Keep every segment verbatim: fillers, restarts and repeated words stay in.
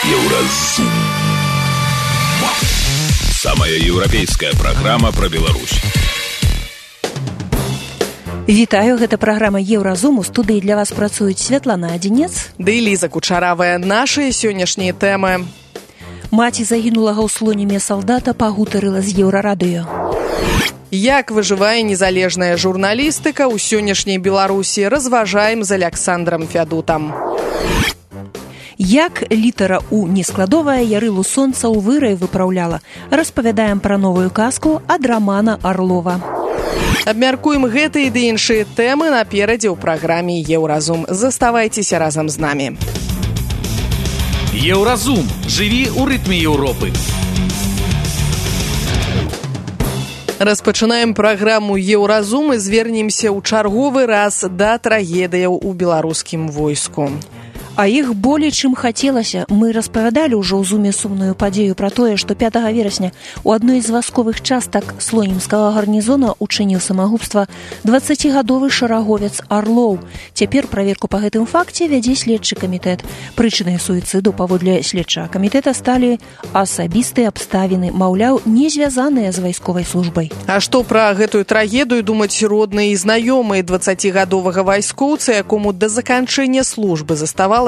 Еўразум. Самая еўрапейская праграма пра Беларусь. Вітаю, гэта праграма Еўразум. У студыі для вас працуюць Святлана Адзінец ды Ліза Кучаравая. Нашыя сённяшнія тэмы. Маці загінулага ў слоніме салдата пагутарыла з Еўрарадыё. Як выжывае незалежная журналістыка ў сённяшняй Беларусі, разважаем з Аляксандрам Фядутам. Як літара У нескладовая ярылу сонца ў вырай выпраўляла, распавядаем пра новую казку ад Рамана Арлова. Абмяркуем гэтыя ды іншыя тэмы наперадзе ў праграме Еўразум. Заставайцеся разам з намі. Еўразум. Жыві ў рытме Еўропы. Распачынаем праграму Еўразум і звернемся ў чарговы раз да трагедыяў у беларускім войску. А іх болей, чым хацелася. Мы распавядалі ўжо ў зуме сумную падзею пра тое, што пятага верасня у адной з вайсковых частак слонімскага гарнізона учыніў самагубства дваццацігадовы шараговец Арлоў. Цяпер праверку па гэтым факце вядзе следчы камітэт. Прычынай суіцыду паводле следчага камітэта сталі асабістыя абставіны, маўляў, не звязаныя з вайсковай службай. А што пра гэтую трагедыю думаць родныя і знаёмыя дваццацігадовага вайскоўца, якому да заканчэння службы заставалася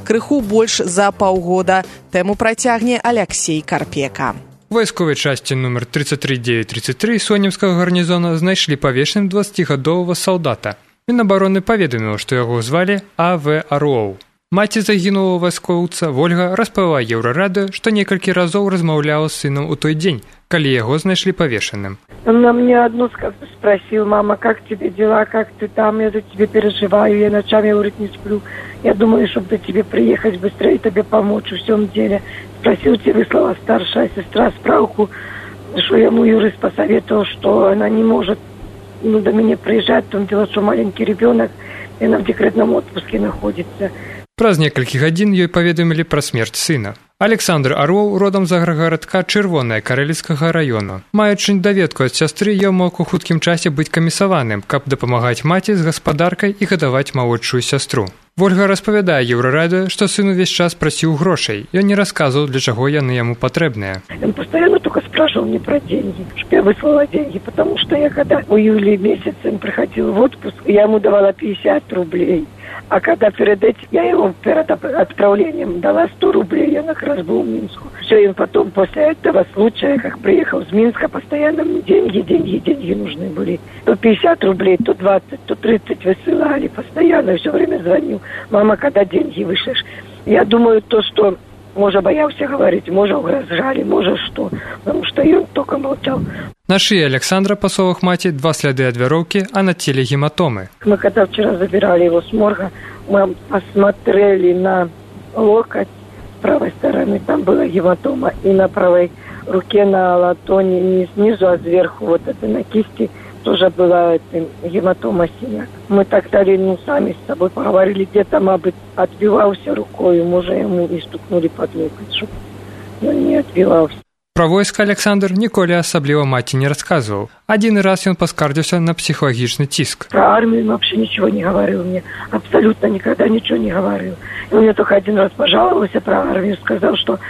крыху больш за паўгода. Тэму працягне Аляксей Карпека. У вайсковай часці нумар тридцать три девять тридцать три слонімскага гарнізона знайшлі павешаным дваццацігадовага салдата. Мінабароны паведаміў, што яго звалі А В Арлоў. Маці загінулага вайскоўца Вольга распавяла Еўрарадыё, што некалькі разоў размаўляла з сынам у той дзень, калі яго знайшлі павешаным. Он на мне одну спросил: мама, как тебе дела, как ты там, я за тебя переживаю, я ночами, говорит, не сплю. Я думаю, чтобы до тебе приехать быстрее, тебе помочь в всем деле. Спросил, тебе выслала старшая сестра справку, что ему юрист посоветовал, что она не может ну, до меня приезжать, в том дело, что маленький ребенок, и она в декретном отпуске находится. Праз некалькі гадзін ёй паведамілі пра смерць сына. Александр Арлоў родам з аграгарадка Чырвонае Карэліцкага раёна. Маючы даведку ад сястры, ён мог у хуткім часе быць камісаваным, каб дапамагаць маці з гаспадаркай і гадаваць малодшую сястру. Вольга распавядае Еўрарадыё, што сын увесь час прасіў грошай. Ён не расказваў, для чаго яны яму патрэбныя. Он постоянно только спрашивал мне про деньги, чтобы я выслала деньги, потому что я когда в июле месяце он приходил в отпуск, я ему давала пятьдесят рублей. А когда перед этим, я ему перед отправлением дала сто рублей, я как раз был в Минску. Все, и потом после этого случая, как приехал из Минска, постоянно мне деньги, деньги, деньги нужны были. То пятьдесят рублей, то двадцать, то тридцать высылали, постоянно, все время звонил. Мама, когда деньги вышлешь? Я думаю, то, что, может, боялся говорить, может, угрожали, может, что. Потому что и он только молчал. На шее Александра, по словах мати, два следы от вяровки, а на теле гематомы. Мы когда вчера забирали его с морга, мы посмотрели на локоть с правой стороны, там была гематома, и на правой руке, на латоне, не снизу, а сверху, вот это на кисти, тоже была это, гематома, синяк. Мы так дали, ну, сами с собой поговорили, где-то, мабыть, отбивался рукой, может, ему и стукнули под локоть, чтобы он не отбивался. Пра войска Александр ніколі асабліва маці не расказваў. Один раз ён паскардзіўся на психологічны ціск. Про армию вообще ничего не говорил мне. Абсолютно никогда ничего не говорил. И он мне только один раз пожаловался про армию, сказал, что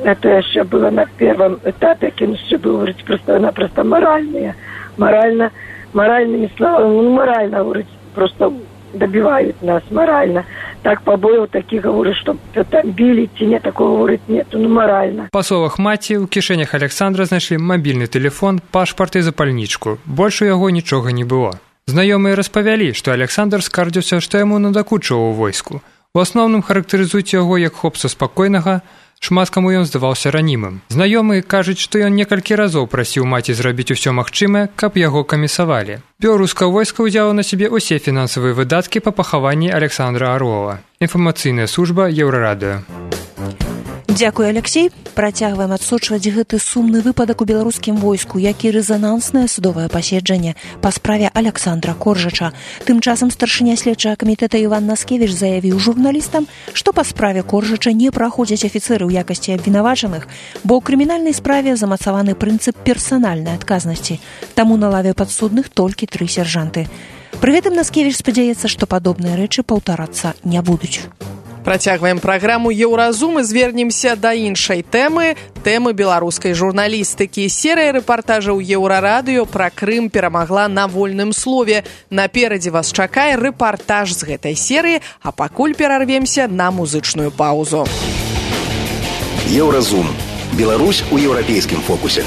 это еще было на первом этапе, он еще был, говорит, просто-напросто моральные. Морально, моральными словами, ну, морально, говорит, просто добивают нас, морально. Так побоев таких, говорю, что там били, ці такого, говорит, нету, ну морально. По словах маці, у кішэнях Александра знайшлі мабільны тэлефон, пашпарт і запальнічку. Больш у яго нічога не было. Знаёмыя распавялі, што Александр скардзіўся, што яму надакучыў у войску. У асноўным характарызуюць яго як хлопца спакойнага, шмат каму ён здаваўся ранімым. Знаёмыя кажуць, што ён некалькі разоў прасіў маці зрабіць усё магчымае, каб яго камісавалі. Беларускае войска ўзяла на сябе ўсе фінансавыя выдаткі па пахаванні Александра Арлова. Інфармацыйная служба Еўрарадыё. Дзякуй, Аляксей. Працягваем адсочваць гэты сумны выпадак у беларускім войску, як і рэзананснае судовае паседжанне па справе Аляксандра Коржача. Тым часам старшыня следчага камітэта Іван Наскевіч заявіў журналістам, што па справе Коржача не праходзяць афіцэры ў якасці абвінавачаных, бо ў крымінальнай справе замацаваны прынцып персанальнай адказнасці. Таму на лаве падсудных толькі тры сержанты. Пры гэтым Наскевіч спадзяецца, што падобныя рэчы паўтарацца не будуць. Працягваем праграму «Еўразум» і звернемся да іншай тэмы, тэмы беларускай журналістыкі. Серыя рэпартажаў Еўрарадыё пра Крым перамагла на вольным слове. Наперадзе вас чакае рэпартаж з гэтай серыі, а пакуль перарвемся на музычную паузу. Еўразум. Беларусь у еўрапейскім фокусе.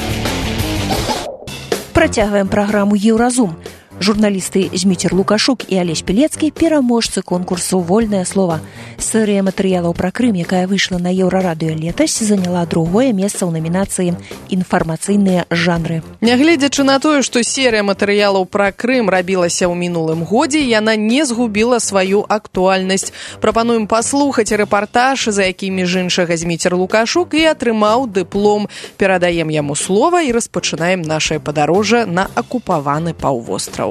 Працягваем праграму «Еўразум». Журналісты Зміцер Лукашук і Алесь Пілецкі пераможцы конкурсу «Вольнае слова». Серыя матэрыялаў пра Крым, якая выйшла на Еўрарадыё летась, заняла другое месца ў намінацыі «Інфармацыйныя жанры». Нягледзячы на тое, што серыя матэрыялаў пра Крым рабілася ў мінулым годзе, яна не згубіла сваю актуальнасць. Прапануем паслухаць рэпартаж, за які, між іншага, Зміцер Лукашук і атрымаў дыплом. Перадаем яму слова і распачынаем нашае падарожжа на акупаваны паўвостраў.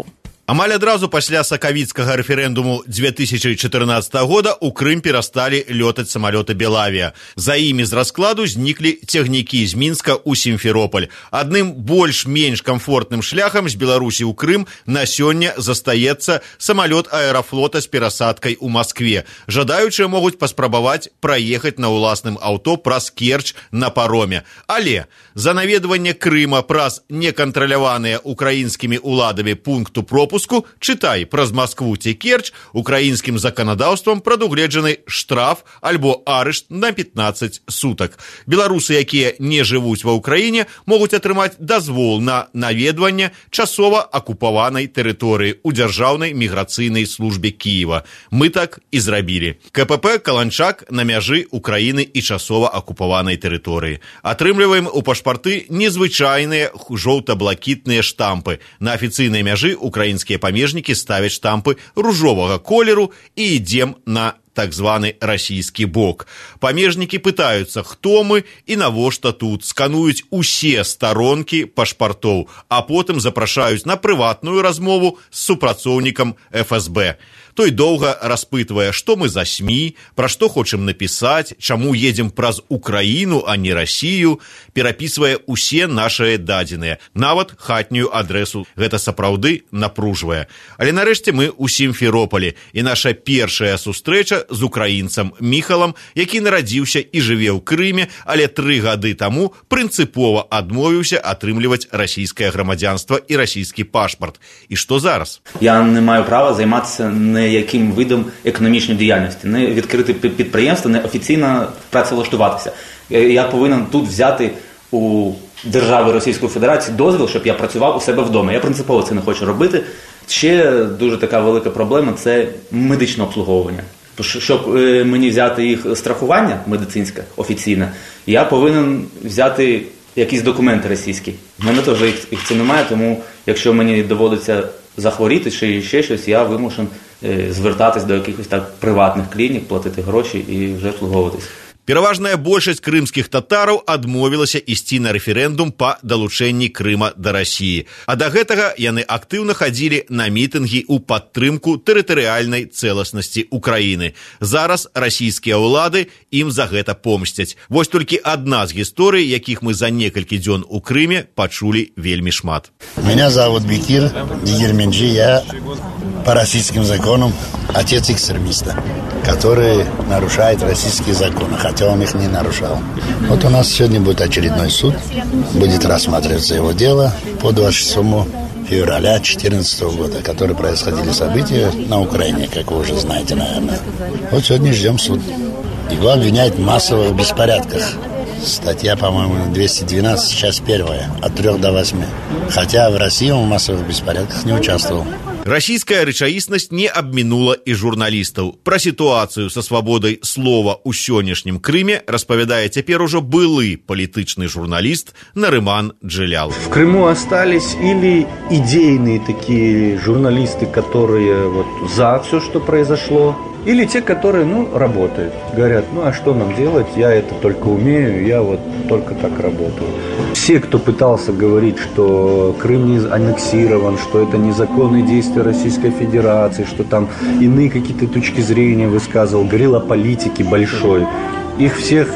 Амаль адразу пасля сакавіцкага рэферэндуму дзве тысячы чатырнаццатага года ў Крым перасталі лётаць самалёты «Белавія». За імі з раскладу зніклі цягнікі з Мінска ў Сімферополь. Адным больш-менш камфортным шляхам з Беларусі ў Крым на сёння застаецца самалёт аэрафлота з перасадкай у Маскве. Жадаючыя могуць паспрабаваць праехаць на ўласным аўто праз Керчь на пароме. Але за наведванне Крыма праз некантраляваныя украінскімі ўладамі пункту пропуску, чытай, праз Маскву ці Керчь, украінскім заканадаўствам прадугледжаны штраф альбо арышт на пятнаццаць сутак. Беларусы, якія не жывуць ва ўкраіне, могуць атрымаць дазвол на наведванне часова акупаванай тэрыторыі ў Дзяржаўнай міграцыйнай службе Кіева. Мы так і зрабілі. КПП «Каланчак» на мяжы Украіны і часова акупаванай тэрыторыі. Атрымліваем у пашпарты незвычайныя жоўта-блакітныя штампы. На афіцыйнай мяжы украінскія памежнікі ставяць штампы ружовага колеру і ідзем на так званы расійскі бок. Памежнікі пытаюцца, хто мы і навошта тут, скануюць усе старонкі пашпартоў, а потым запрашаюць на прыватную размову з супрацоўнікам эф эс бэ. Той доўга распытвае, што мы за СМІ, пра што хочам напісаць, чаму едзем праз Украіну, а не Расію, перапісвае усе нашыя дадзеныя, нават хатнюю адрэсу. Гэта сапраўды напружвае. Але нарэшце мы ў Сімферополі, і наша першая сустрэча з украінцам Міхалам, які нарадзіўся і жыве ў Крыме, але тры гады таму прынцыпова адмовіўся атрымліваць расійскае грамадзянства і расійскі пашпарт. І што зараз? Я не маю права займатися не яким видом економічної діяльності, не відкрити підприємство, не офіційно працевлаштуватися. Я повинен тут взяти у держави Російської Федерації дозвіл, щоб я працював у себе вдома. Я принципово це не хочу робити. Ще дуже така велика проблема – це медичне обслуговування. Щоб мені взяти їх страхування медицинське, офіційне, я повинен взяти якісь документи російські. У мене теж їх, їх це немає, тому якщо мені доводиться захворіти чи ще щось, я вимушен звертатись до якихось так приватних клінік, платити гроші і вже обслуговуватись. Пераважная большасць крымскіх татараў адмовілася ісці на рэферэндум па далучэнні Крыма да Расіі. А да гэтага яны актыўна хадзілі на мітынгі ў падтрымку тэрытарыяльнай цэласнасці Украіны. Зараз расійскія ўлады ім за гэта помсцяць. Вось толькі адна з гісторый, якіх мы за некалькі дзён у Крыме пачулі вельмі шмат. Меня зовут Бекир Дигерменджи, я по российским законам отец экстремиста, который нарушает российские законы, хотя он их не нарушал. Вот у нас сегодня будет очередной суд, будет рассматриваться его дело по двадцать шестому февраля две тысячи четырнадцатого года, которые происходили события на Украине, как вы уже знаете, наверное. Вот сегодня ждем суд. Его обвиняют в массовых беспорядках. Статья, по-моему, двести двенадцать, часть первая, от трёх до восьми. Хотя в России он в массовых беспорядках не участвовал. Расійская рэчаіснасць не абмінула і журналістаў. Пра сітуацыю са свабодай слова ў сённяшнім Крыме распавядае цяпер ужо былы палітычны журналіст Нарыман Джилял. В Крыму остались или идейные такие журналисты, которые вот за все, что произошло, или те, которые, ну, работают. Говорят, ну, а что нам делать? Я это только умею, я вот только так работаю. Все, кто пытался говорить, что Крым не аннексирован, что это незаконные действия Российской Федерации, что там иные какие-то точки зрения высказывал, говорил о политике большой, их всех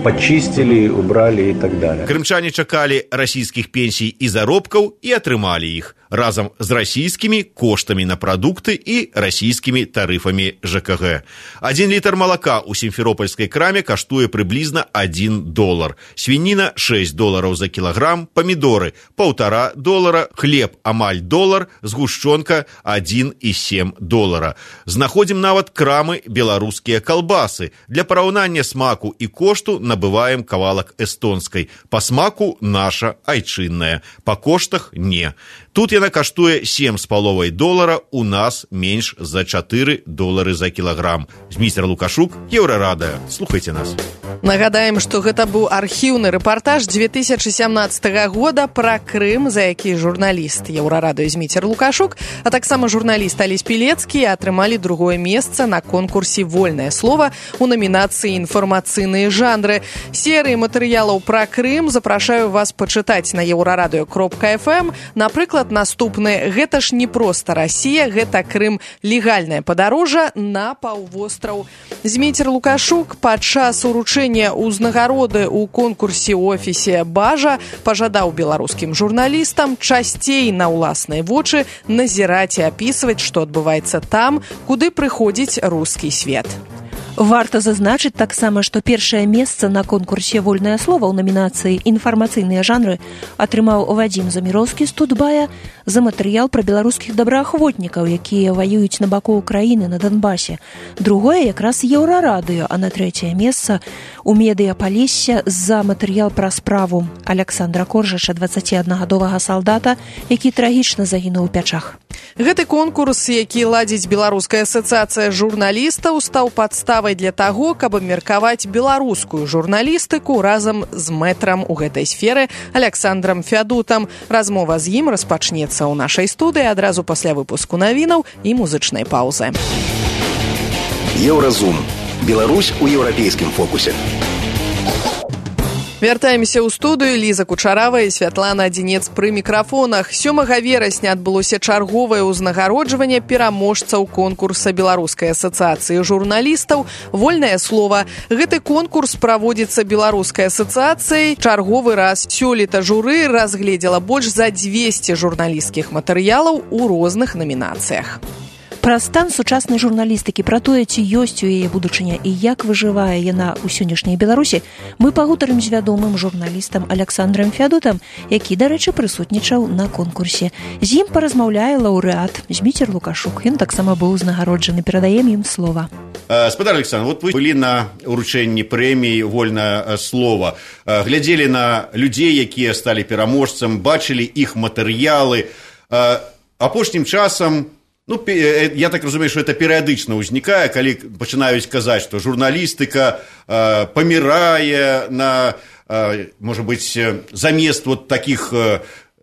почистили, убрали и так далее. Крымчане чакалі расійскіх пенсій і заробкаў і атрымалі іх. разам з расійскімі коштамі на прадукты і расійскімі тарыфамі ЖКГ. Адзін літр малака ў сімферопольскай краме каштуе прыблізна адзін долар. Свініна шэсць долараў за кілаграм, памідоры паўтара долара, хлеб амаль долар, згушчонка адзін і сем долара. Знаходзім нават крамы беларускія калбасы. Для параўнання смаку і кошту набываем кавалак эстонскай. Па смаку наша айчынная, па коштах не. Тут яна каштуе сем з паловай долара, у нас менш за чатыры долары за кілаграм. Зміцер Лукашук, Еўрарадыё. Слухайце нас. Нагадаем, што гэта быў архіўны рэпартаж две тысячы сямнаццатага года пра Крым, за які журналіст Еўрарадыё Зміцер Лукашук, а таксама журналіст Алесь Пілецкі атрымалі другое месца на конкурсе «Вольнае слова» у номінацыі «Інфармацыйныя жанры». Серыі матэрыялаў пра Крым запрашаю вас пачытаць на еўрарадыё кропка эф эм. Напрыклад, наступны «Гэта ж не проста Расія, гэта Крым. Легальнае падарожжа на паўвостраў». Зміцер Лукашук падчас уручэння ўзнагароды ў конкурсе ў офісе «Бажа» пажадаў беларускім журналістам часцей на ўласныя вочы назіраць і апісваць, што адбываецца там, куды прыходзіць рускі свет. Варта зазначыць таксама, што першае месца на конкурсе «Вольнае слова» ў намінацыі «Інфармацыйныя жанры» атрымаў Вадзім Заміроўскі з Тутбая за матэрыял пра беларускіх добраахвотнікаў, якія ваююць на баку Украіны на Донбасе. Другое якраз Еўрарадыё, а на трэцяе месца у Медыяпалесе за матэрыял пра справу Александра Коржача, дваццаціаднагадовага салдата, які трагічна загінуў у Пячах. Гэты конкурс, які ладзіць Беларуская асацыяцыя журналістаў, стаў падставай для таго, каб абмеркаваць беларускую журналістыку разам з мэтрам у гэтай сферы Александрам Фядутам. Размова з ім распачнецца ў нашай студыі адразу пасля выпуску навінаў і музычнай паўзы. Еўразум. Беларусь у еўрапейскім фокусе. Вяртаемся ў студыю. Ліза Кучарава і Святлана Адзінец пры мікрафонах. сёмага верасня адбылося чарговае ўзнагароджванне пераможцаў конкурса Беларускай асацыяцыі журналістаў «Вольнае слова». Гэты конкурс праводзіцца Беларускай асацыяцыяй чарговы раз. Сёлета журы разгледзела больш за дзвесце журналісцкіх матэрыялаў у розных намінацыях. Пра стан сучаснай журналістыкі, пра тое, ці ёсць у яе будучыня і як выжывае яна ў сённяшняй Беларусі, мы пагутарым з вядомым журналістам Александрам Фядутам, які, дарэчы, прысутнічаў на конкурсе. З ім паразмаўляе лаўрэат Зміцер Лукашук. Ён таксама быў узнагароджаны. Перадаем ім слова. Спадар Александр, вот вы былі на уручэнні прэміі «Вольнае слова», глядзелі на людзей, якія сталі пераможцам, бачылі іх матэрыялы. Апошнім часам, ну, я так разумею, что это перыядычна ўзнікае, калі пачынаюць казаць, што журналістыка э, памірае на, э, можа быць, замест вот таких э,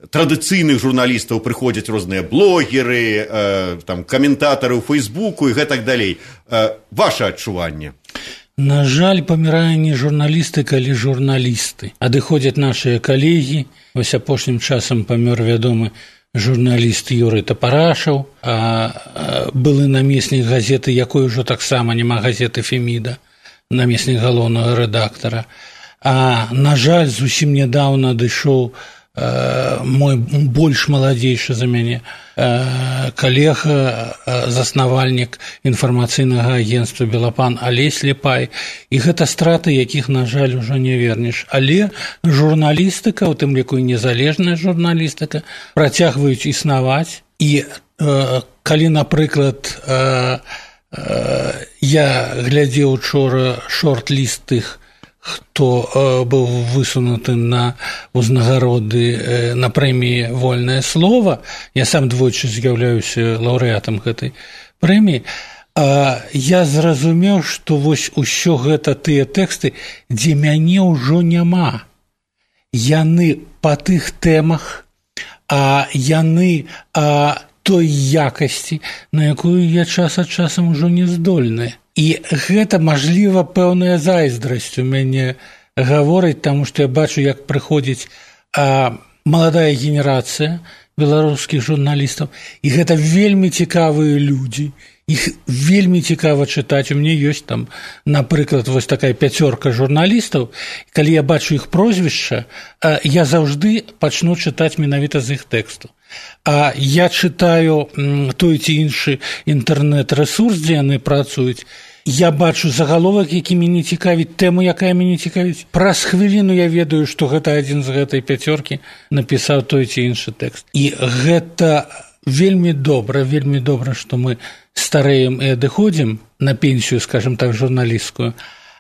традыцыйных журналістаў прыходзяць розныя блогеры, э, там, каментатары ў Фейсбуку і гэтак далей. Э, ваше адчуванне? На жаль, памірае не журналістыка, але журналісты. Адыходзяць нашыя калегі. Вось апошнім часам памёр вядомы журналіст Юрый Тапарашаў, а, а былы намеснік газеты, якой ужо таксама няма, газеты «Феміда», намеснік галоўнага рэдактара. А, на жаль, зусім нядаўна адышоў а, мой больш маладзейшы за мяне а, калега, а, заснавальнік інфармацыйнага агенцтва «Белапан» Алесь Ліпай. І гэта страты, якіх, на жаль, ужо не вернеш. Але журналістыка, у тым ліку і незалежная журналістыка, працягваюць існаваць. І э, калі, напрыклад, э, э, я глядзеў учора шорт-ліст тых, хто э, быў высунуты на ўзнагароды э, на прэміі «Вольнае слова», я сам двойчы з'яўляюся лаўрэатам гэтай прэміі, а я зразумеў, што вось усё гэта тыя тэксты, дзе мяне ўжо няма. Яны па тых тэмах, а яны а, той якасці, на якую я час ад часам ужо не здольны. І гэта, мажліва, пэўная зайздрасць у мяне гаворыць, таму што я бачу, як прыходзіць а, маладая генерацыя беларускіх журналістаў, і гэта вельмі цікавыя людзі, іх вельмі цікава чытаць. У мяне ёсць там, напрыклад, вось такая пяцёрка журналістаў, калі я бачу іх прозвішча, я заўжды пачну чытаць менавіта з іх тэксту. А я чытаю той ці іншы інтэрнэт-рэсурс, дзе яны працуюць, я бачу загаловак, які мяне цікавіць, тэму, якая мяне цікавіць. Праз хвіліну я ведаю, што гэта адзін з гэтай пяцёркі напісаў той ці іншы тэкст. І гэта вельмі добра, вельмі добра, што мы стареем і адыходзім на пенсію, скажем так, журналісцкую,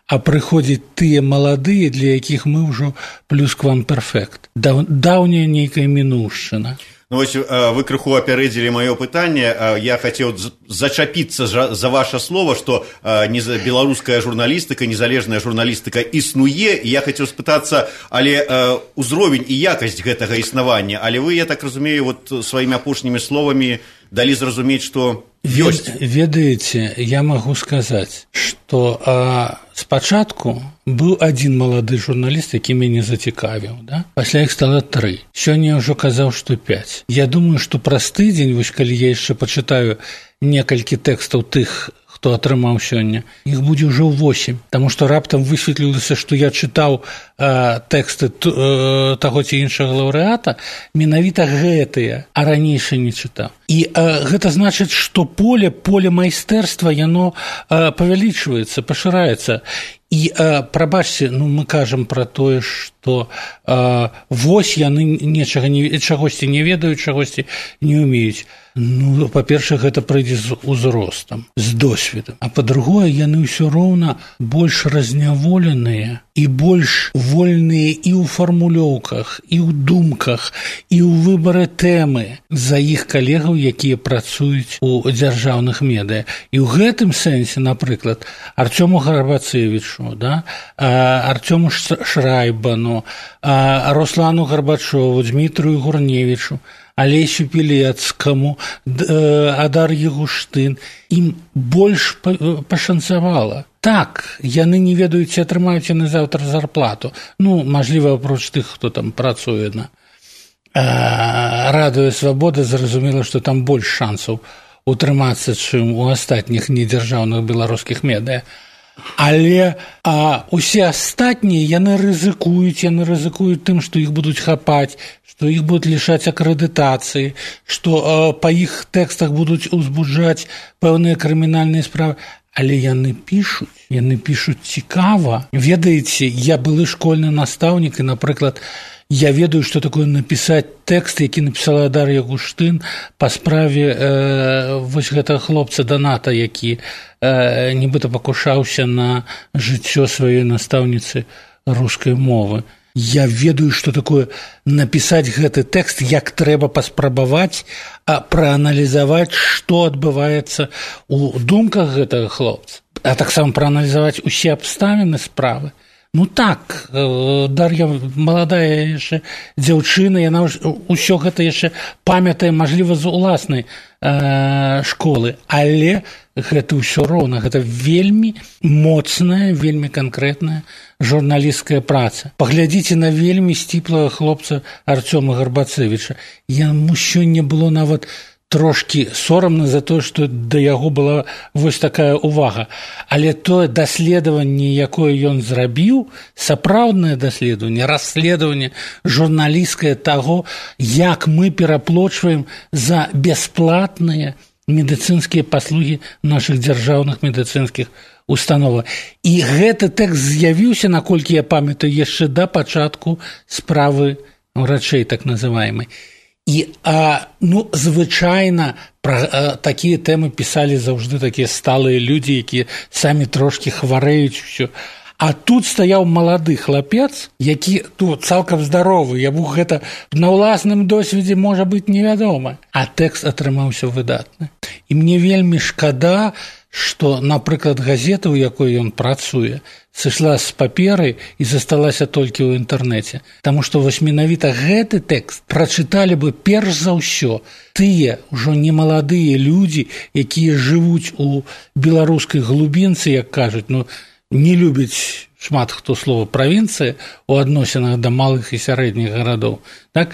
а прыходзяць тыя маладыя, для якіх мы ўжо плюсквамперфект. Даўняя нейкая мінуўшчына. Ну, вось вы крыху апярэдзілі маё пытанне. Я хацеў зачапіцца за ваше слово, што беларуская журналістыка, незалежная журналістыка існуе, і я хацеў спытацца, але ўзровень і якасць гэтага існавання, але вы, я так разумею, вот сваімі апошнімі словамі далі зразумець, што ёсць. Ведаеце, я магу сказаць, што а, спачатку быў адзін малады журналіст, які мяне зацікавіў, да? Пасля іх стала тры. Сёння я ўжо казаў, што пяць. Я думаю, што праз тыдзень, вось калі я яшчэ пачытаю некалькі тэкстаў тых, хто атрымаў сёння, іх будзе ўжо восемь, таму што раптам высветлілася, што я чытаў э, тэксты э, таго ці іншага лаўрэата, менавіта гэтыя, а ранейшы не чытаў. І э, гэта значыць, што поле, поле майстэрства, яно э, павялічваецца, пашыраецца. І, э, прабачце, ну, мы кажам пра тое, што э, вось яны нечага не, чагосьці не ведаюць, чагосьці не ўмеюць. Ну, па-першае, гэта прыйдзе з узростам, з досведам. А па-другое, яны ўсё роўна больш разняволеныя і больш вольныя і ў фармулёўках, і ў думках, і ў выбары тэмы за іх калегаў, якія працуюць у дзяржаўных медыя. І ў гэтым сэнсе, напрыклад, Артёму Гарбацевічу, да, Артёму Шрайбану, Руслану Гарбачову, Дмітрию Гурневічу, Алесю Пілецкаму, Адар'і Гуштын, ім больш пашанцавала. Так, яны не ведаюць, ці атрымаюць яны заўтра зарплату. Ну, мажліва, апроч тых, хто там працуе на Радыё Свабода, зразумела, што там больш шансаў утрымацца, чым у астатніх недзяржаўных беларускіх медыя. Але а, усе астатнія, яны рызыкуюць, яны рызыкуюць тым, што іх будуць хапаць, што іх будуць лішаць акрэдытацыі, што а, па іх тэкстах будуць узбуджаць пэўныя крымінальныя справы. Але яны пішуць, яны пішуць цікава. Ведаеце, я былы школьны настаўнік, і, напрыклад, я ведаю, што такое напісаць тэкст, які напісала Дар'я Гуштын па справе э, вось гэтага хлопца Даната, які э, нібыта пакушаўся на жыццё сваёй настаўніцы рускай мовы. Я ведаю, што такое напісаць гэты тэкст, як трэба паспрабаваць а прааналізаваць, што адбываецца ў думках гэтага хлопца, а таксама прааналізаваць усе абставіны справы. Ну так, Дар'я маладая яшчэ дзяўчына, яна ўсё гэта яшчэ памятае, мажліва, з уласнай э, школы, але гэта ўсё роўна, гэта вельмі моцная, вельмі канкрэтная журналісцкая праца. Паглядзіце на вельмі сціплага хлопца Артёма Гарбацевіча. Яму сёння было нават трошкі сорамна за тое, што да яго была вось такая ўвага. Але тое даследаванне, якое ён зрабіў, сапраўднае даследаванне, расследаванне журналісцкае таго, як мы пераплочваем за бясплатныя медыцынскія паслугі нашых дзяржаўных медыцынскіх установах. І гэты тэкст з'явіўся, наколькі я памятаю, яшчэ да пачатку справы врачэй, так называемай. І, а, ну, звычайна, пра а, такія тэмы пісалі заўжды такія сталыя людзі, якія самі трошкі хварэюць усё. А тут стаяў малады хлапец, які тут цалкам здаровы, яму гэта на ўласным досведзе можа быць невядома. А тэкст атрымаўся выдатны. І мне вельмі шкада, што, напрыклад, газета, у якой ён працуе, сышла з паперы і засталася толькі ў інтэрнэце. Таму што вось менавіта гэты тэкст прачыталі бы перш за ўсё тыя ўжо немаладыя людзі, якія жывуць у беларускай глубінцы, як кажуць, ну, не любіць шмат хто слова правінцыя у адносінах да малых і сярэдніх гарадоў. Так?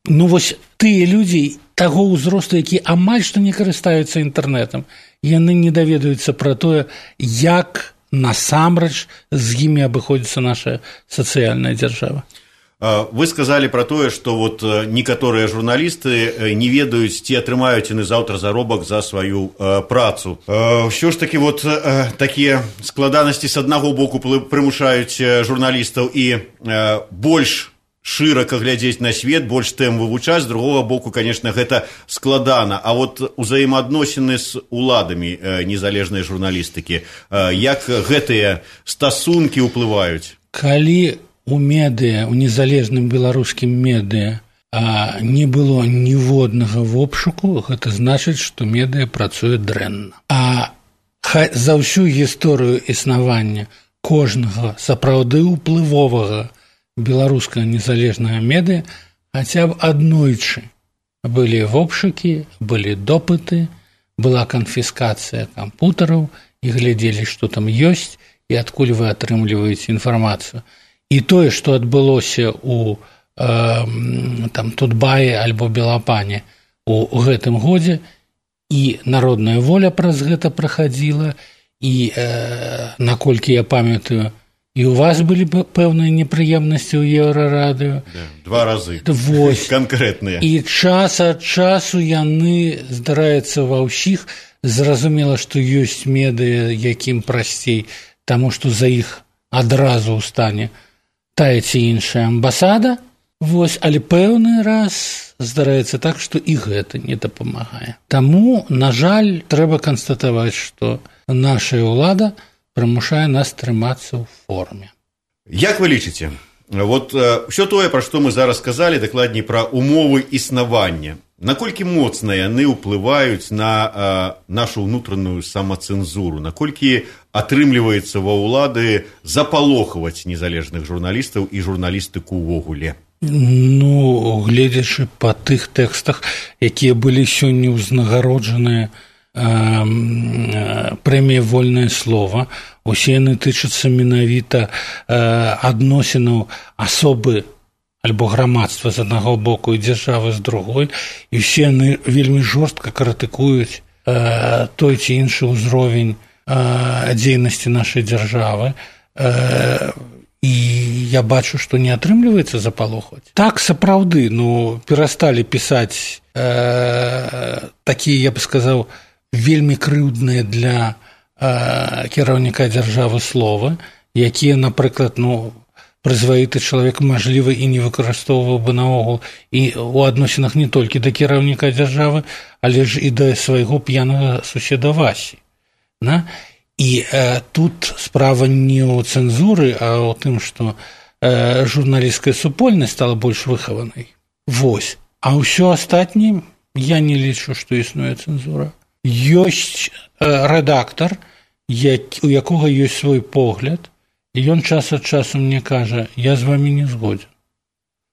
Ну, вось тыя людзі таго ўзросту, які амаль што не карыстаюцца інтэрнэтам, яны не даведаюцца пра тое, як насамрэч з імі абыходзіцца наша сацыяльная дзяржава. Вы сказалі пра тое, што вот некаторыя журналісты не ведаюць, ці атрымаюць яны заўтра заробак за сваю працу. Ўсё ж такі вот такія складанасці з аднаго боку прымушаюць журналістаў і больш шырака глядзець на свет, больш тэм вывучаць, з другога боку, конечно, гэта складана. А вот узаемаадносіны з уладамі незалежнай журналістыкі, як гэтыя стасункі ўплываюць? Калі у медыя, у незалежным беларускім медыя а не было ніводнага вобшуку, гэта значыць, што медыя працуе дрэнна. А за ўсю гісторыю існавання кожнага сапраўды ўплывовага беларускага незалежнага медыя хаця б аднойчы былі вобшукі, былі допыты, была канфіскацыя кампутараў, і глядзелі, што там ёсць і адкуль вы атрымліваеце інфармацыю. І тое, што адбылося ў э, там, Тутбаі альбо Белапане у, у гэтым годзе, і народная воля праз гэта прахадзіла, і э, наколькі я памятаю, і ў вас былі пэўныя непрыемнасці ў Еўрарадыё. Да, два разы. Вось. Канкрэтныя. І час ад часу яны, здараецца ва ўсіх, зразумела, што ёсць медыя, якім прасцей, таму што за іх адразу ў стане тая ці іншая амбасада, вось, але пэўны раз здараецца так, што і гэта не дапамагае. Таму, на жаль, трэба канстатаваць, што наша ўлада прымушае нас трымацца ў форме. Як вы лічыце? Вот ўсё тое, пра што мы зараз сказалі, дакладней пра умовы існавання, наколькі моцна яны ўплываюць на а, нашу ўнутраную самацэнзуру, наколькі атрымліваецца ва ўлады запалохваць незалежных журналістаў і журналістыку ўвогуле? Ну, гледзячы па тых тэкстах, якія былі сёння ўзнагароджаныя прэмія «Вольнае слова», усе яны тычацца менавіта адносінаў асобы альбо грамадства з аднаго боку і дзяржавы з другой, і ўсе яны вельмі жорстка крытыкуюць э, той ці іншы ўзровень э, дзейнасці нашай дзяржавы, э, і я бачу, што не атрымліваецца запалохваць. Так, сапраўды, ну, перасталі пісаць э, такія, я б сказаў, вельмі крыўдныя для э, кіраўніка дзяржавы словы, якія, напрыклад, ну, прызваіты чалавек, мажліва, і не выкарыстоўваў бы наогул і ў адносінах не толькі да кіраўніка дзяржавы, але ж і да свайго п'янага суседа Васі. На? І э, тут справа не ў цэнзуры, а ў тым, што э, журналісцкая супольнасць стала больш выхаванай. Вось. А ўсё астатняе я не лічу, што існуе цэнзура. Ёсць э, рэдактар, як, у якога ёсць свой погляд, і ён час ад часу мне кажа, я з вамі не згоден.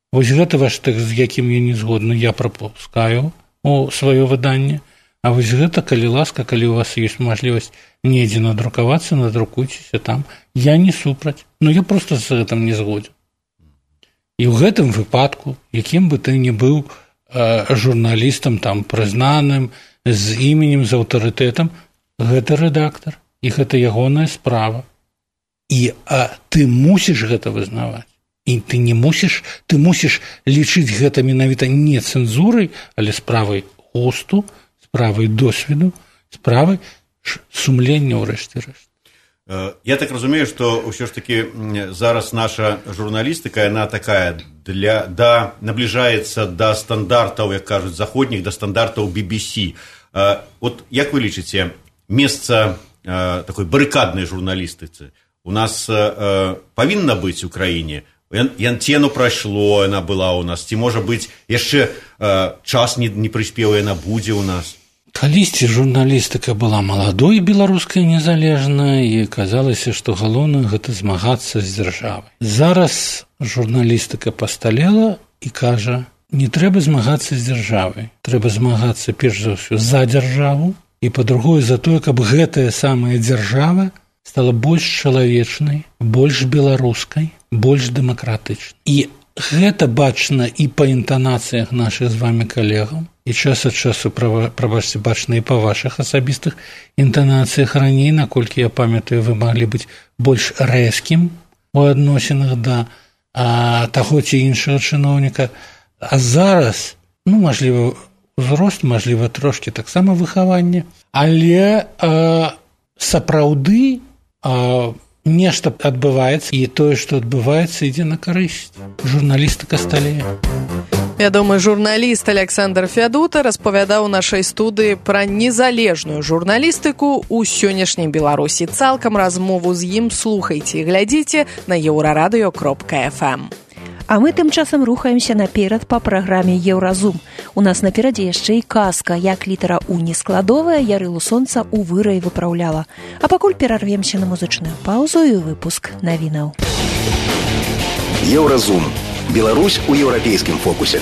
Вось гэта ваш тэкст, з якім я не згодны, я прапускаю у сваё выданне, а вось гэта, калі ласка, калі у вас ёсць мажлівасць недзе надрукавацца, надрукуйцеся там, я не супраць, но я проста з гэтым не згоден. І ў гэтым выпадку, якім бы ты не быў э, журналістам там прызнаным, з іменем, з аўтарытэтам, гэта рэдактар, і гэта ягоная справа. І а, ты мусіш гэта вызнаваць. І ты не мусіш, ты мусіш лічыць гэта менавіта не цэнзурай, але справай густу, справай досведу, справай сумлення ўрэшце рэшт. Я так разумею, што ўсё ж такі зараз наша журналістыка, яна такая, для, да, набліжаецца да стандартаў, як кажуць, заходніх, да стандартаў би би сі. Вот як вы лічыце, месца такой барыкаднай журналістыцы у нас э, павінна быць у краіне? Янцену прайшло, яна была ў нас, ці можа быць яшчэ э, час не, не прыспеў, яна будзе ў нас? Калісьці журналістыка была маладой беларускай незалежнай, і казалася, што галоўнае гэта змагацца з дзяржавай. Зараз журналістыка пасталела і кажа, не трэба змагацца з дзяржавай, трэба змагацца перш за ўсё за дзяржаву, і па-другое за тое, каб гэтая самая дзяржава стала больш чалавечнай, больш беларускай, больш дэмакратычнай. І гэта бачна і па інтанацыях нашых з вамі калегаў, і час ад часу, прабачце, бачна і па вашых асабістых інтанацыях раней, наколькі я памятаю, вы маглі быць больш рэзкім у адносінах да а таго ці іншага чыноўніка. А зараз, ну, мажліва, узрост, мажліва, трошкі таксама выхаванне, але а, сапраўды а, нешта адбываецца, і тое, што адбываецца, ідзе на карысць. Журналістыка сталее. Вядомы журналіст Александр Фядута распавядаў у нашай студыі пра незалежную журналістыку ў сённяшняй Беларусі. Цалкам размову з ім слухайце і глядзіце на еўрарадыё кропка эф эм. А мы тым часам рухаемся наперад па праграме Еўразум. У нас наперадзе яшчэ і казка, як літара У нескладовая ярылу сонца ў выраі выпраўляла. А пакуль перарвемся на музычную паўзу і выпуск навінаў. Еўразум. Беларусь у еўрапейскім фокусе.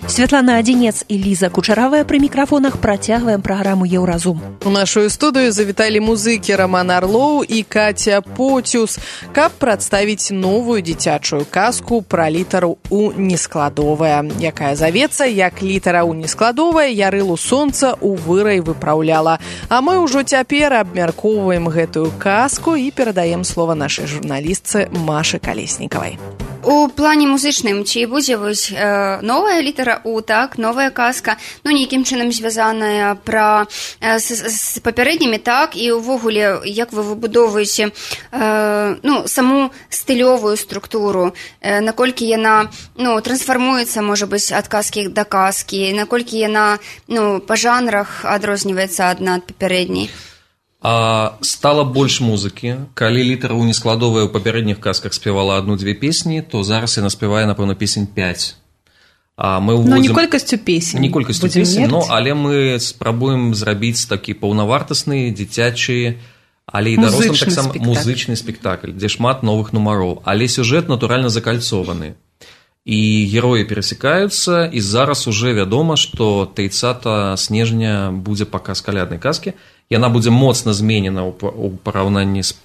Святлана Адзінец і Ліза Кучаравая пры мікрафонах працягваем праграму Еўразум. У нашу студыю завіталі музыкі Роман Орлоў і Катя Потюс, каб прадставіць новую дзіцячую казку пра літару У нескладовая, якая завецца як літара У нескладовая ярылу сонца ў вырай выпраўляла. А мы ўжо цяпер абмяркоўваем гэтую казку і перадаем слова нашай журналістцы Машы Калеснікавай. У плане музычным, ці будзе вось э, новая літара У, так, новая казка, ну, нейкім чынам звязаная пра э, з, з папярэднімі, так, і ўвогуле, як вы выбудоўваеце э, ну, саму стылёвую структуру, э, наколькі яна, ну, трансфармуецца, можа быць, ад казкі да казкі, наколькі яна, ну, па жанрах адрозніваецца адна ад папярэдняй. А стала больш музыкі. Калі літара У нескладовая ў папярэдніх казках спявала адну-дзве песні, то зараз яна спявае, напэўна, песень пяць. А мы ўводзім... Ну, не колькасцю песень. Не колькасцю песень, ну, але мы спрабуем зрабіць такі паўнавартасны, дзіцячы, але і дарослым таксама музычны спектакль, дзе шмат новых нумароў. Але сюжэт, натуральна, закальцованы. І героі перасекаюцца, і зараз уже вядома, што трыццатага снежня будзе паказ каляднай казкі. Яна будзе моцна зменена ў параўнанні з,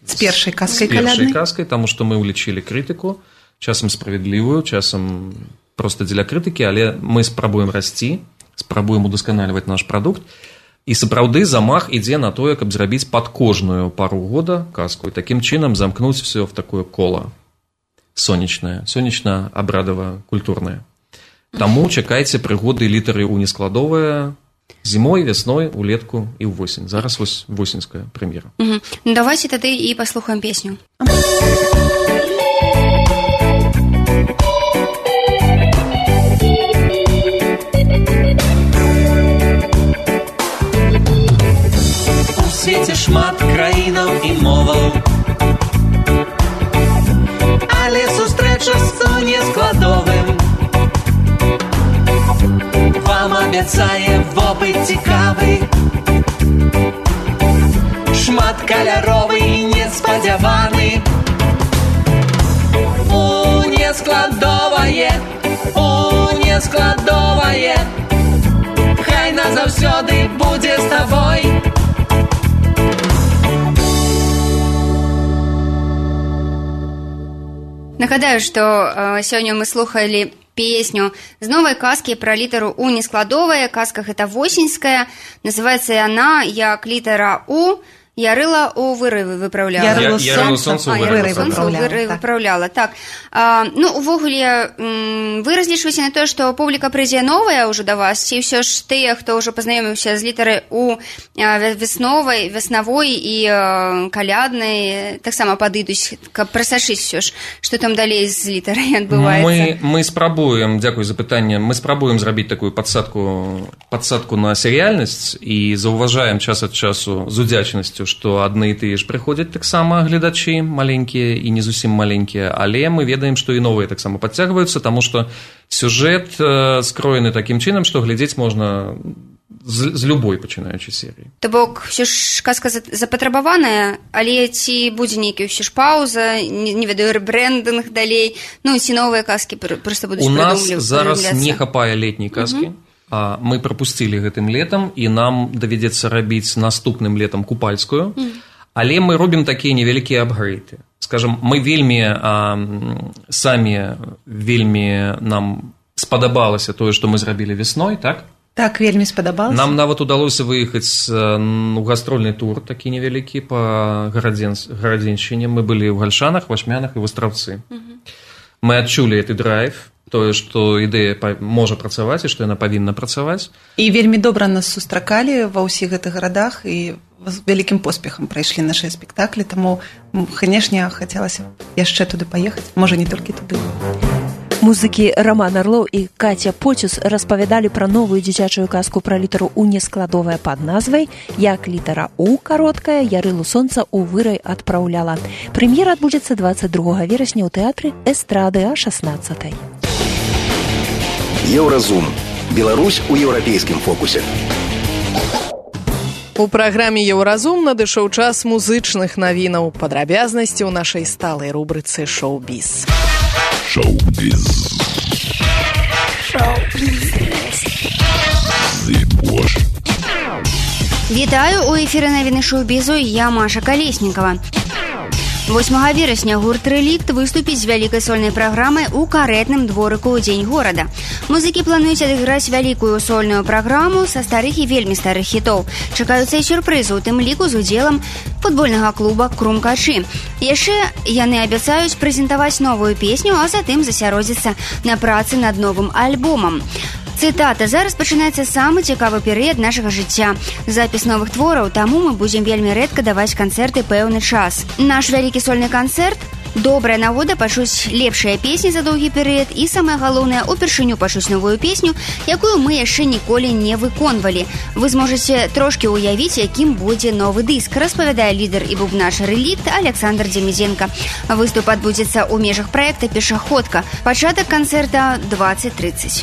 з першай казкай з першай каляднай, казкай, таму што мы ўлічылі крытыку, часам справядлівую, часам проста дзеля крытыкі, але мы спрабуем расці, спрабуем удасканальваць наш прадукт, і сапраўды замах ідзе на тое, каб зрабіць пад кожную пару года казку, і такім чынам замкнуць все в такое кола сонечнае, сонечна-абрадава-культурнае. Таму чакайце прыгоды літары У нескладовая зімой, вясной, улетку і ўвосень. Зараз вось восеньская прэм'ера. Угу. Ну, давайте тады і паслухаем песню. У свеце шмат краінаў і моваў, але сустрэча з У нескладовым вам абяцае вопыт цікавы, шмат каляровы і неспадзяваны. У нескладовае, У нескладовае, хай назаўсёды будзе з табой. Нагадаю, што э, сёння мы слухалі песню з новай казкі пра літару У нескладовая. Казка гэта восеньская. Называецца яна як літара У ярыла ў вырывы выпраўляла. Ярылу сонца ў вырывы выпраўляла. Так. А, ну, увогуле, вы разлічваеце на тое, што публіка прыйдзе новая ўжо да вас, ці ўсё ж тыя, хто ўжо пазнаёміўся з літарай У весновай, веснавой і каляднай, таксама падыдуць, каб прасачыць ўсё ж, што там далей з літарай адбываецца. Мы, мы спрабуем, дзякуй за пытанне, мы спрабуем зрабіць такую падсадку, падсадку на серыяльнасць і заўважаем час ад часу з удзячнасцю, што адны і тыя ж прыходзяць таксама гледачы маленькія і не зусім маленькія, але мы ведаем, што і новыя таксама падцягваюцца, таму што сюжэт скроены такім чынам, што глядзець можна з, з любой пачынаючай серыі. То бок, ўсё ж казка запатрабаваная, але ці будзе нейкі ўсё ж паўза, не, не ведаю, рэбрэндынг далей, ну ці новыя казкі проста будуць прыдумлівацца. У нас зараз не хапае летняй казкі. Uh-huh. Мы прапусцілі гэтым летам, і нам давядзецца рабіць наступным летам купальскую, mm. але мы робім такія невялікія апгрэйды. Скажам, мы вельмі а, самі вельмі нам спадабалася тое, што мы зрабілі весной, так? Так, вельмі спадабалася. Нам нават удалося выехаць у гастрольны тур, такі невялікі, па Гарадзеншчыне. Мы былі ў Гальшанах, Вашмянах і Вастраўцы. Мы адчулі гэты драйв, тое, што ідэя можа працаваць і што яна павінна працаваць. І вельмі добра нас сустракалі ва ўсіх гэтых гарадах і з вялікім поспехам прайшлі нашыя спектаклі, таму, канешне, хацелася яшчэ туды паехаць, можа, не толькі туды. Музыкі Роман Орлоў і Катя Поцюс распавядалі пра новую дзіцячую казку пра літару У нескладовая пад назвай «Як літара У кароткая Ярылу сонца у вырай адпраўляла». Прэм'ера адбудзецца двадцать другого верасня ў тэатры Эстрады о шестнадцатой. Еўразум. Беларусь у еўрапейскім фокусе. У праграме «Еўразум» надышоў час музычных навінаў. Падрабязнасці ў нашай сталай рубрыцы «Шоу-біз». Шоу-біз. Шоу-біз. Вітаю, у эфіры навіны шоу-бізу, я Маша Калеснікова. восьмага верасня гурт «Рэлікт» выступіць з вялікай сольнай праграмай у карэтным дворыку ў дзень горада. Музыкі плануюць адыграць вялікую сольную праграму са старых і вельмі старых хітоў. Чакаюцца і сюрпрызы, у тым ліку з удзелам футбольнага клуба «Крумкачы». Яшчэ яны абяцаюць прэзентаваць новую песню, а затым засяродзіцца на працы над новым альбомам. Цытата. «Зараз пачынаецца самы цікавы перыяд нашага жыцця. Запіс новых твораў, таму мы будзем вельмі рэдка даваць канцэрты пэўны час. Наш вялікі сольны канцэрт – добрая нагода пачуць лепшыя песні за доўгі перыяд і, самае галоўнае, упершыню пачуць новую песню, якую мы яшчэ ніколі не выконвалі. Вы зможаце трошкі ўявіць, якім будзе новы дыск», распавядае лідар і бубнач «Рэлікт» Александр Демізенко. Выступ адбудзецца ў межах праекта «Пешаходка». Пачатак канцэрта двадцать тридцать.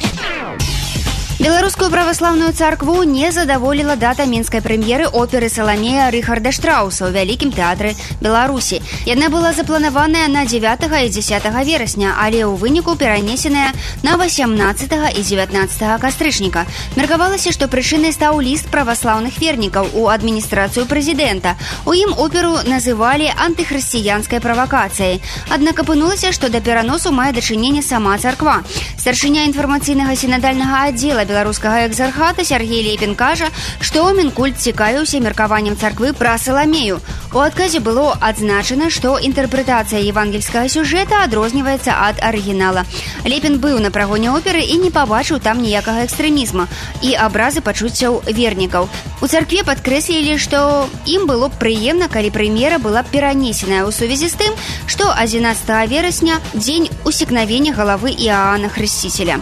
Беларускую праваслаўную царкву не задаволіла дата мінскай прэм'еры оперы «Саламея» Рыхарда Штрауса ў вялікім тэатры Беларусі. Яна была запланаваная на дзевятага і дзесятага верасня, але ў выніку перанесеная на васямнаццатага і дзевятнаццатага кастрычніка. Меркавалася, што прычынай стаў ліст праваслаўных вернікаў у адміністрацыю прэзідэнта. У ім оперу называлі антыхрысціянскай правакацыяй. Аднак апынулася, што да пераносу мае дачыненне сама царква. Старшыня інфармацыйнага сінадальнага аддзела беларускага экзархата Сергей Лепін кажа, што Мінкульт цікавіўся меркаваннем царквы пра Саламею. У адказе было адзначана, што інтэрпрэтацыя евангельскага сюжэта адрозніваецца ад арыгінала. Лепін быў на прагоне оперы і не пабачыў там ніякага экстрэмізма і абразы пачуццяў вернікаў. У царкве падкрэслілі, што ім было б прыемна, калі прэм'ера была б перанесеная ў сувязі з тым, што адзінаццатага верасня дзень усекнавення галавы Іаана Хрысціцеля.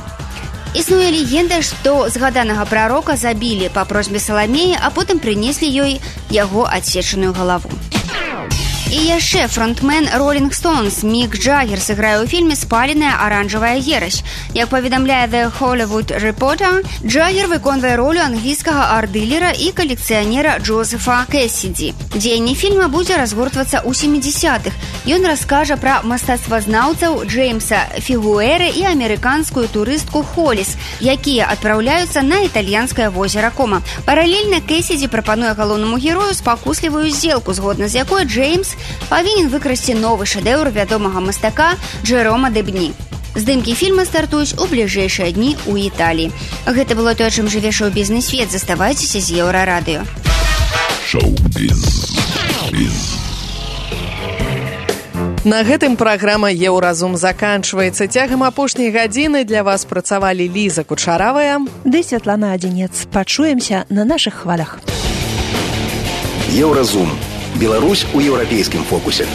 Існуе легенда, што згаданага прарока забілі па просьбе Саламеі, а потым прынеслі ёй яго адсечаную галаву. І яшчэ фронтмен Rolling Stones Мік Джаггер сыграе ў фільме «Спаленая аранжавая ерась». Як паведамляе The Hollywood Reporter, Джаггер выконвае ролю англійскага арт-дылера і калекцыянера Джозефа Кэссіді. Дзеянне фільма будзе разгортвацца ў сямідзесятых. Ён раскажа пра мастацтвазнаўцаў Джеймса Фігуэры і амерыканскую турыстку Холіс, якія адпраўляюцца на італьянскае возера Кома. Паралельна Кэссіді прапануе галоўнаму герою спакуслівую здзелку, згодна з якой Джеймс павінен выкрасці новы шэдэўр вядомага мастака Джэрома Дэбні. Здымкі фільма стартуюць у бліжэйшыя дні ў Італіі. Гэта было тое, чым жыве шоу-бізнес-свет. Заставайцеся з Еўрарадыё. Шоу-біз. На гэтым праграма «Еўразум» заканчваецца. Цягам апошняй гадзіны для вас працавалі Ліза Кучаравая ды Святлана Адзінец. Пачуемся на нашых хвалях. Еўразум. Беларусь у еўрапейскім фокусе.